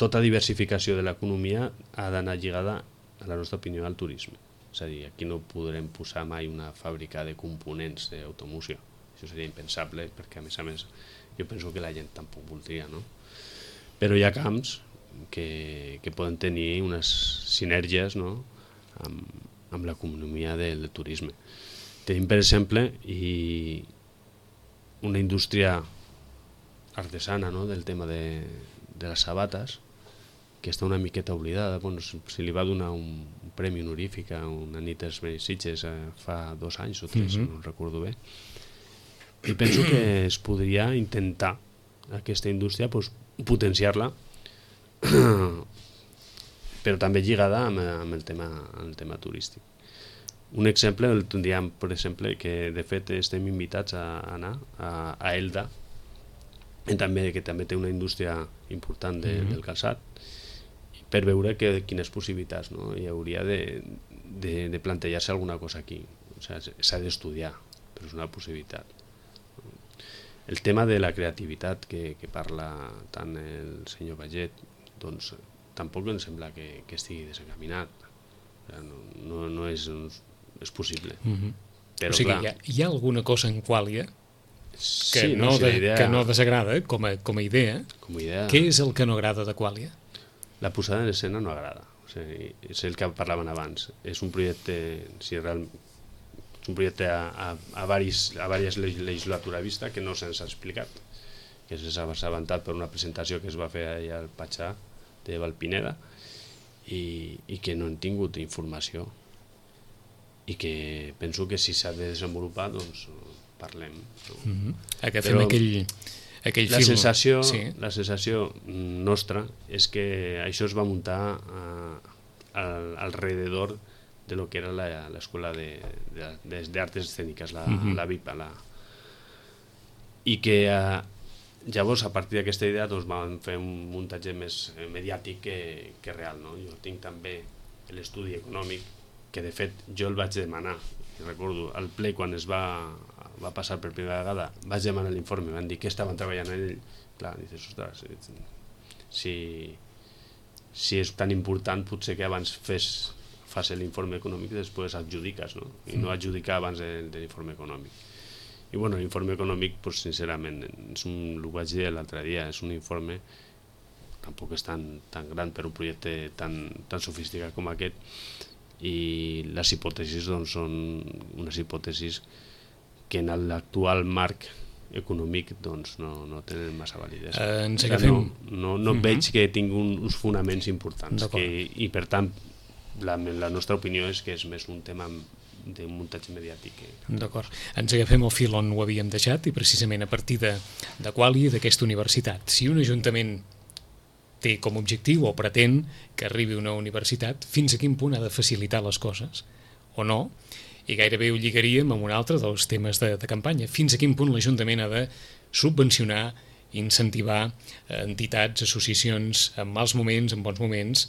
tota diversificació de l'economia ha d'anar lligada, a la nostra opinió, al turisme. És a dir, aquí no podrem posar mai una fàbrica de components d'automoció. Això seria impensable perquè, a més a més, jo penso que la gent tampoc voldria, no? Però hi ha camps que, que poden tenir unes sinergies, no? amb, amb l'economia del, del turisme. Tenim, per exemple, i una indústria artesana, no? Del tema de, de les sabates, que està una miqueta oblidada. Bueno, se li va donar un, un premi honorífic a una nit dels Sitges eh, fa dos anys o tres, mm-hmm. no recordo bé. I penso que es podria intentar aquesta indústria pues, potenciar-la, però també lligada amb, amb, el tema, amb el tema turístic. Un exemple el tindríem, per exemple, que de fet estem invitats a anar a, a Elda, també, que també té una indústria important de, mm-hmm. del calçat, per veure que, quines possibilitats, no? Hi hauria de, de, de plantejar-se alguna cosa aquí. O sigui, s'ha d'estudiar, però és una possibilitat. El tema de la creativitat que, que parla tant el senyor Baget, doncs tampoc em sembla que, que estigui desencaminat. No, no, no és, és possible. Mm-hmm. Però, o sigui, clar, hi ha, hi ha alguna cosa en Quàlia que, sí, no, no, si de, idea, que no desagrada com a, com a idea. Com a idea. Què és el que no agrada de Quàlia? la posada en escena no agrada. O sigui, és el que parlaven abans. És un projecte, si real, és un projecte a, a, a, varis, a diverses legislatura vista que no se'ns ha explicat, que s'ha assabentat per una presentació que es va fer allà al Patxà de Valpineda i, i que no han tingut informació i que penso que si s'ha de desenvolupar doncs parlem. No? Mm-hmm. Agafem Però... aquell... aquell la film. sensació, sí. la sensació nostra és que això es va muntar uh, al, alrededor de lo que era l'escola d'arts escèniques, la, uh-huh. la VIPA. La... I que uh, llavors, a partir d'aquesta idea, doncs, vam fer un muntatge més mediàtic que, que real. No? Jo tinc també l'estudi econòmic, que de fet jo el vaig demanar. Recordo, al ple, quan es va... va passar per primera vegada, vaig demanar l'informe, van dir que estaven treballant en ell. Clar, dices, ostres, si, si és tan important, potser que abans fes, fas l'informe econòmic i després adjudiques, no? I no adjudicar abans de, de l'informe econòmic. I bueno, l'informe econòmic, pues, sincerament, és un, ho vaig dir l'altre dia, és un informe, tampoc és tan, tan gran per un projecte tan, tan sofisticat com aquest, i les hipòtesis doncs, són unes hipòtesis que en l'actual marc econòmic doncs, no, no tenen massa validesa. Eh, ens agafem... No, no, no uh-huh. veig que tingui un, uns fonaments importants que, i per tant la, la nostra opinió és que és més un tema de muntatge mediàtic. Que... D'acord. Ens agafem el fil on ho havíem deixat i precisament a partir de, de Quali, d'aquesta universitat. Si un ajuntament té com a objectiu o pretén que arribi a una universitat, fins a quin punt ha de facilitar les coses o no? I gairebé ho lligaríem amb un altre dels temes de, de campanya. Fins a quin punt l'Ajuntament ha de subvencionar, incentivar entitats, associacions en mals moments, en bons moments.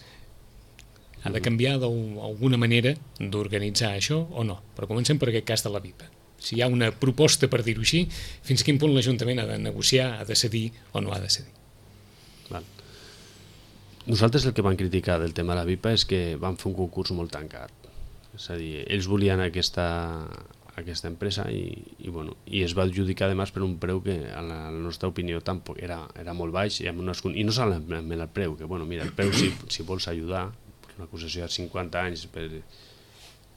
Ha de canviar d'alguna manera d'organitzar això o no? Però comencem per aquest cas de la VIPA. Si hi ha una proposta, per dir-ho així, fins a quin punt l'Ajuntament ha de negociar, ha de cedir o no ha de cedir? Val. Nosaltres el que vam criticar del tema de la VIPA és que vam fer un concurs molt tancat. És a dir, ells volien aquesta, aquesta empresa i, i, bueno, i es va adjudicar además per un preu que a la, a la nostra opinió tampoc era, era molt baix i, amb unes, i no solament el preu, que bueno, mira, el preu si, si vols ajudar, una acusació de cinquanta anys per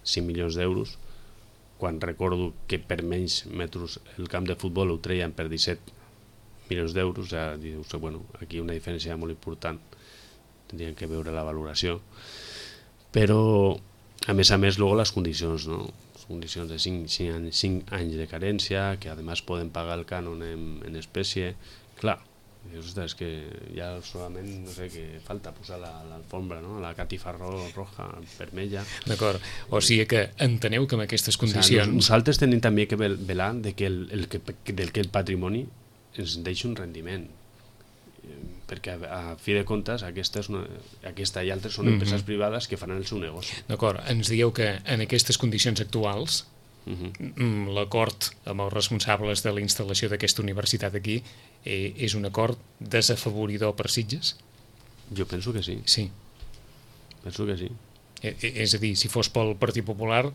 cinc milions d'euros, quan recordo que per menys metres el camp de futbol ho treien per disset milions d'euros, ja dius, bueno, aquí una diferència molt important, tindrien que veure la valoració, però a més a més, luego les condicions, no? Les condicions de cinc, cinc, anys, cinc anys de carència, que a més poden pagar el cànon en, en espècie. Clar, és que ja solament, no sé, que falta posar l'alfombra, no? La catifa roja, vermella. D'acord, o sigui que enteneu que amb aquestes condicions... O sigui, nosaltres tenim també que velar de que el, el que, del que el patrimoni ens deixi un rendiment, perquè a fi de comptes aquesta, és una, aquesta i altres són empreses uh-huh. privades que faran el seu negoci. D'acord, ens dieu que en aquestes condicions actuals uh-huh. l'acord amb els responsables de la instal·lació d'aquesta universitat aquí eh, és un acord desafavoridor per Sitges? Jo penso que sí. Sí. Penso que sí. Eh, és a dir, si fos pel Partit Popular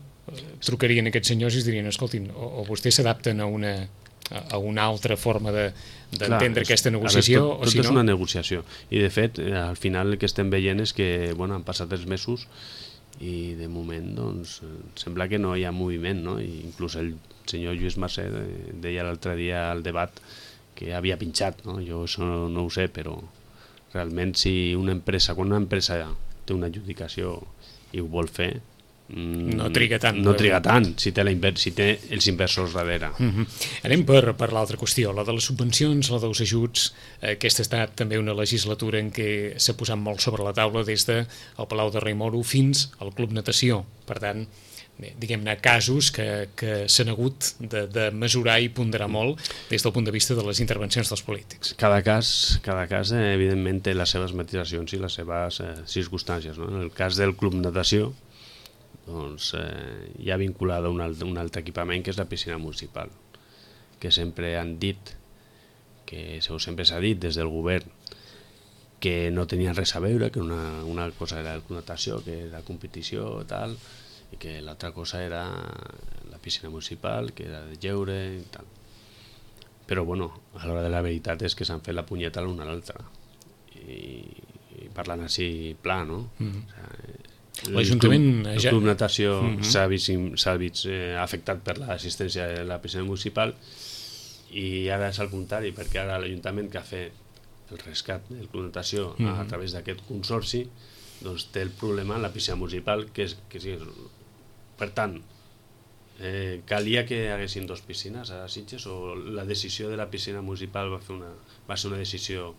trucarien aquests senyors i es dirien, escoltin, o, o vostès s'adapten a una... a una altra forma d'entendre de, aquesta negociació. Veure, tot, tot o si és no... una negociació i de fet al final el que estem veient és que bueno, han passat els mesos i de moment doncs, sembla que no hi ha moviment, no? I inclús el senyor Lluís Mercè deia l'altre dia al debat que havia pinxat, no? Jo això no ho sé, però realment si una empresa, quan una empresa té una adjudicació i ho vol fer, no triga tant no triga tant si té, la inver si té els inversors darrere. Uh-huh. Anem per, per l'altra qüestió, la de les subvencions, la dels ajuts. Aquesta ha estat també una legislatura en què s'ha posat molt sobre la taula des del Palau de Rei Moro fins al Club Natació. Per tant, diguem-ne, casos que, que s'han hagut de, de mesurar i ponderar molt des del punt de vista de les intervencions dels polítics. Cada cas, cada cas eh, evidentment té les seves matisacions i les seves eh, circumstàncies, no? En el cas del Club Natació doncs, eh, hi ha vinculada un, alt, un altre equipament que és la piscina municipal, que sempre han dit, que sempre s'ha dit des del govern, que no tenien res a veure, que una, una cosa era la natació, que era competició i tal, i que l'altra cosa era la piscina municipal, que era de lleure i tal. Però bueno, a l'hora de la veritat és que s'han fet la punyeta l'una a l'altra. I, i parlant així pla, no? Mm. O sigui, L'Ajuntament... El club, el ja... club natació mm-hmm. s'ha vist, s'ha vist eh, afectat per l'assistència de la piscina municipal i ara és al contrari, perquè ara l'Ajuntament que ha fet el rescat del club natació mm-hmm. a través d'aquest consorci doncs té el problema en la piscina municipal que és que sí, per tant eh, calia que hi haguessin dos piscines a Sitges o la decisió de la piscina municipal va, fer una, va ser una decisió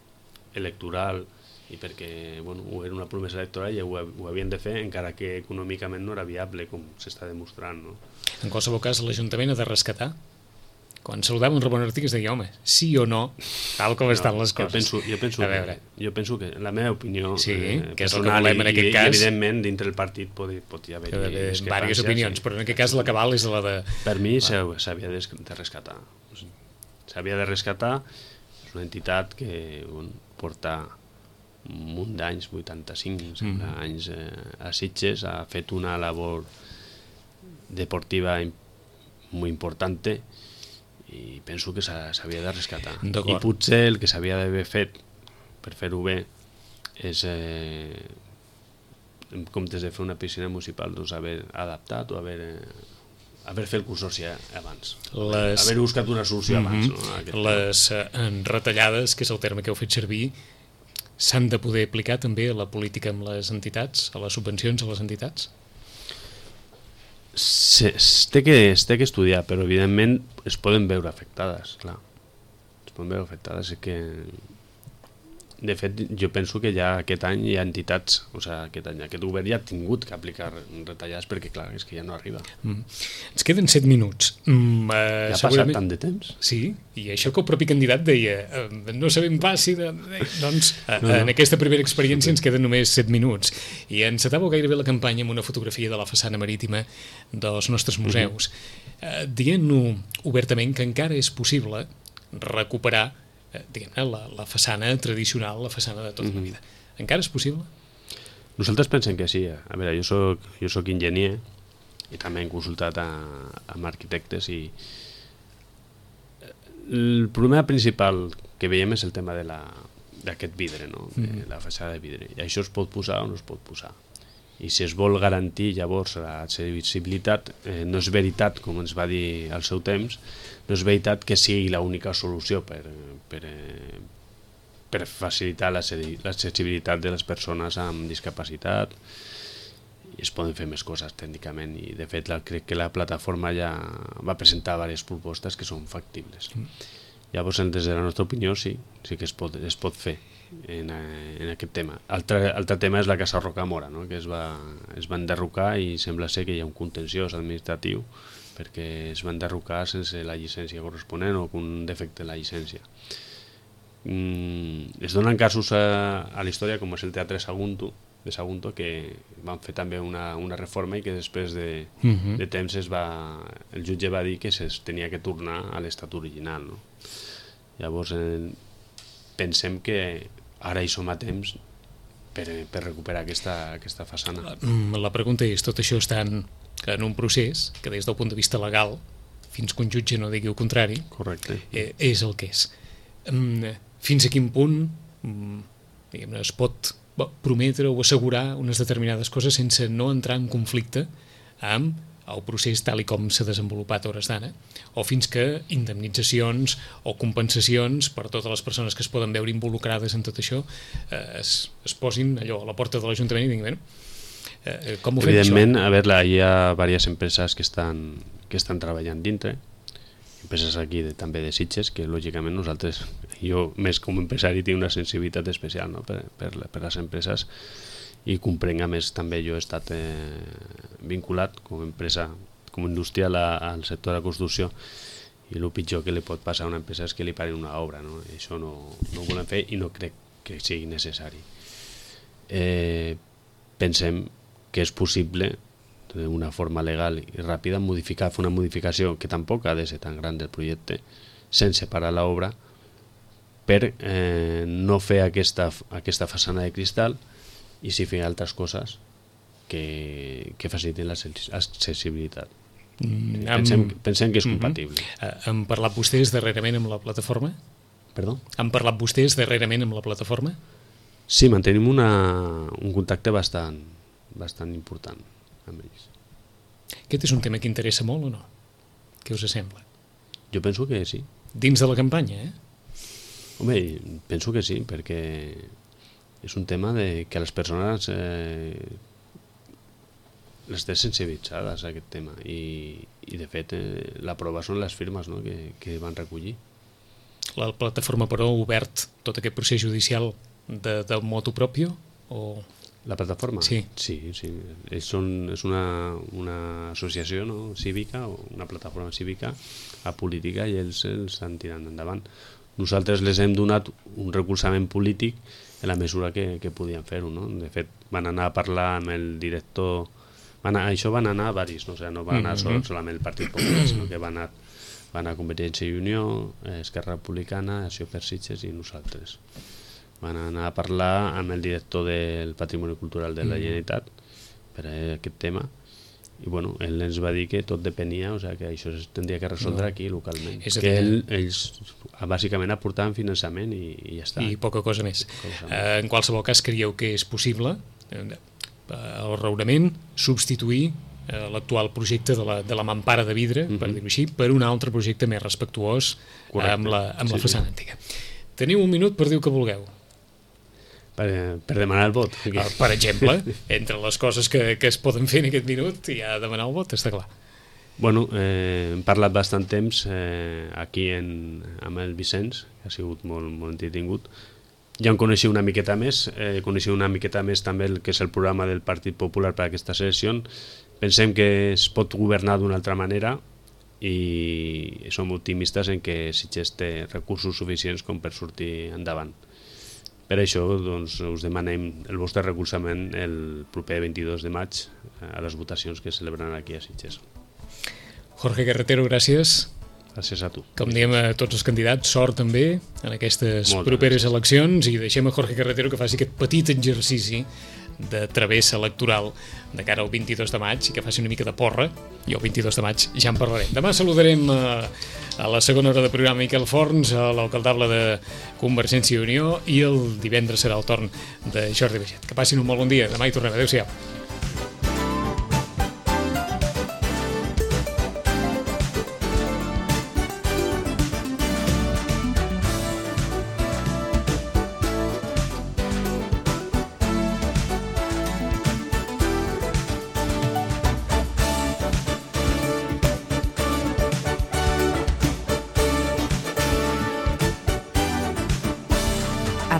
electoral i perquè bueno, era una promesa electoral i ho, ho havien de fer encara que econòmicament no era viable com s'està demostrant, no? En qualsevol cas l'Ajuntament ha de rescatar. Quan saludava un Ramon Artigas deia, home, sí o no, tal com no, estan les coses. Jo penso, jo penso, a veure. Que, jo penso que la meva opinió sí, eh, que és el que volem en aquest i, cas. I evidentment dintre del partit pot, pot hi haver diverses opinions, sí. Però en aquest cas la cabal és la de... Per mi s'havia de, de rescatar. S'havia de rescatar, és una entitat que bueno, porta un munt d'anys, vuitanta-cinc mm. anys eh, a Sitges, ha fet una labor deportiva molt important i penso que s'havia de rescatar. I potser el que s'havia d'haver fet per fer-ho bé és eh, en comptes de fer una piscina municipal doncs haver adaptat o haver, eh, haver fet el consorci abans, les... haver buscat una solució abans. Mm-hmm. No? Les eh, retallades, que és el terme que heu fet servir, s'han de poder aplicar també a la política amb les entitats, a les subvencions a les entitats? Es té, que, es té que estudiar, però evidentment es poden veure afectades, clar. Es poden veure afectades, és que... De fet, jo penso que ja aquest any hi ha entitats, o sigui, aquest any, aquest govern ja ha tingut que aplicar retallades perquè, clar, és que ja no arriba. Mm. Ens queden set minuts. Mm, uh, ja ha segurament... passat tant de temps. Sí, i això que el propi candidat deia, uh, no sabem pas si... De... doncs, uh, no, no. En aquesta primera experiència ens queden només set minuts. I encetàveu gairebé la campanya amb una fotografia de la façana marítima dels nostres museus, mm-hmm. uh, dient-ho obertament que encara és possible recuperar diguem-ne, la, la façana tradicional, la façana de tota mm-hmm. la vida. Encara és possible? Nosaltres pensem que sí. A veure, jo soc, jo soc enginyer i també hem consultat a, amb arquitectes i el problema principal que veiem és el tema de la, d'aquest vidre, no? Mm-hmm. La façana de vidre. I això es pot posar o no es pot posar. I si es vol garantir llavors l'accessibilitat, eh, no és veritat, com ens va dir al seu temps, no és veritat que sigui l'única solució per, per, per facilitar l'accessibilitat de les persones amb discapacitat. I es poden fer més coses tècnicament i de fet la, crec que la plataforma ja va presentar diverses propostes que són factibles. Mm. Llavors, des de la nostra opinió, sí, sí que es pot, es pot fer en, en aquest tema. Altre, altre tema és la Casa Rocamora, no? Que es va, es va enderrocar i sembla ser que hi ha un contenciós administratiu perquè es va enderrocar sense la llicència corresponent o amb un defecte de la llicència. Mm, es donen casos a, a la història com és el Teatre Sagunto, de Sagunto, que van fer també una, una reforma i que després de, uh-huh. de temps es va, el jutge va dir que es tenia que tornar a l'estat original. No? Llavors eh, pensem que ara hi som a temps per, per recuperar aquesta, aquesta façana. La, la pregunta és, tot això està en, en un procés que des del punt de vista legal, fins que un jutge no digui el contrari, correcte, eh, és el que és. Mm, fins a quin punt mm, diguem-ne, es pot prometre o assegurar unes determinades coses sense no entrar en conflicte amb el procés tal i com s'ha desenvolupat a hores d'ara, o fins que indemnitzacions o compensacions per totes les persones que es poden veure involucrades en tot això eh, es, es posin allò a la porta de l'Ajuntament i diguin, bueno, eh, com ho fem evidentment, això? A veure, hi ha diverses empreses que estan, que estan treballant dintre, empreses aquí de, també de Sitges, que lògicament nosaltres, jo més com a empresari tinc una sensibilitat especial, no? per, per, per les empreses, i comprenc, a més també jo he estat eh, vinculat com a empresa, com a industrial a, al sector de la construcció, i el pitjor que li pot passar a una empresa és que li parin una obra, no? I això no, no ho volem fer i no crec que sigui necessari. Eh, pensem que és possible d'una forma legal i ràpida modificar, fer una modificació que tampoc ha de ser tan gran del projecte sense parar l'obra per eh, no fer aquesta, aquesta façana de cristal i si fer altres coses que, que facilitin l'accessibilitat. Mm, pensem, amb... pensem que és compatible. Mm-hmm. Han parlat vostès darrerament amb la plataforma? Perdó? Han parlat vostès darrerament amb la plataforma? Sí, mantenim una, un contacte bastant, bastant important amb ells. Aquest és un tema que interessa molt o no? Què us sembla? Jo penso que sí. Dins de la campanya, eh? Home, penso que sí, perquè és un tema de que les persones eh, les té sensibilitzades a aquest tema i, i de fet eh, la prova són les firmes, no?, que, que van recollir. La plataforma, però, ha obert tot aquest procés judicial de, del motu propio? O... La plataforma? Sí. Sí, sí. Ells són, és una, una associació, no?, cívica, o una plataforma cívica apolítica, i ells els estan tirant endavant. Nosaltres les hem donat un recolzament polític en la mesura que, que podien fer-ho, no? De fet, van anar a parlar amb el director... Van anar, això van anar a varis, no? O sigui, no van anar sol, solament el Partit Popular, sinó que van anar, van anar a Convergència i Unió, Esquerra Republicana, Acció per Sitges i nosaltres. Van anar a parlar amb el director del Patrimoni Cultural de la Generalitat per a aquest tema, i bueno, ell ens va dir que tot depenia, o sigui, que això es tindria que resoldre no. aquí localment, és que ell, ells bàsicament aportaven finançament i, i ja està. I poca cosa més. Poca cosa més. Eh, en qualsevol cas, creieu que és possible eh, el raonament substituir eh, l'actual projecte de la, de la mampara de vidre, mm-hmm. per dir-ho així, per un altre projecte més respectuós eh, amb la, amb sí, la façana sí. antiga. Teniu un minut per dir el que vulgueu. Per, per demanar el vot. Uh, per exemple, entre les coses que, que es poden fer en aquest minut hi ha demanar el vot, està clar. Bueno, eh, hem parlat bastant temps eh, aquí en, amb el Vicenç, que ha sigut molt, molt entretingut. Ja em coneixia una miqueta més, eh, coneixia una miqueta més també el que és el programa del Partit Popular per a aquesta sessió. Pensem que es pot governar d'una altra manera i som optimistes en que Sitges té recursos suficients com per sortir endavant. Per això doncs, us demanem el vostre recolzament el proper vint-i-dos de maig a les votacions que celebraran aquí a Sitges. Jorge Carretero, gràcies. Gràcies a tu. Com diem a tots els candidats, sort també en aquestes Moltes properes gràcies. eleccions, i deixem a Jorge Carretero que faci aquest petit exercici de travessa electoral de cara al vint-i-dos de maig i que faci una mica de porra, i el vint-i-dos de maig ja en parlarem. Demà saludarem a, a la segona hora de programa Miquel Forns, a l'alcaldable de Convergència i Unió, i el divendres serà el torn de Jordi Baiget. Que passin un molt bon dia. Demà hi tornem. Adéu-siau.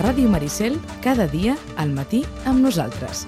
Ràdio Maricel, cada dia al matí amb nosaltres.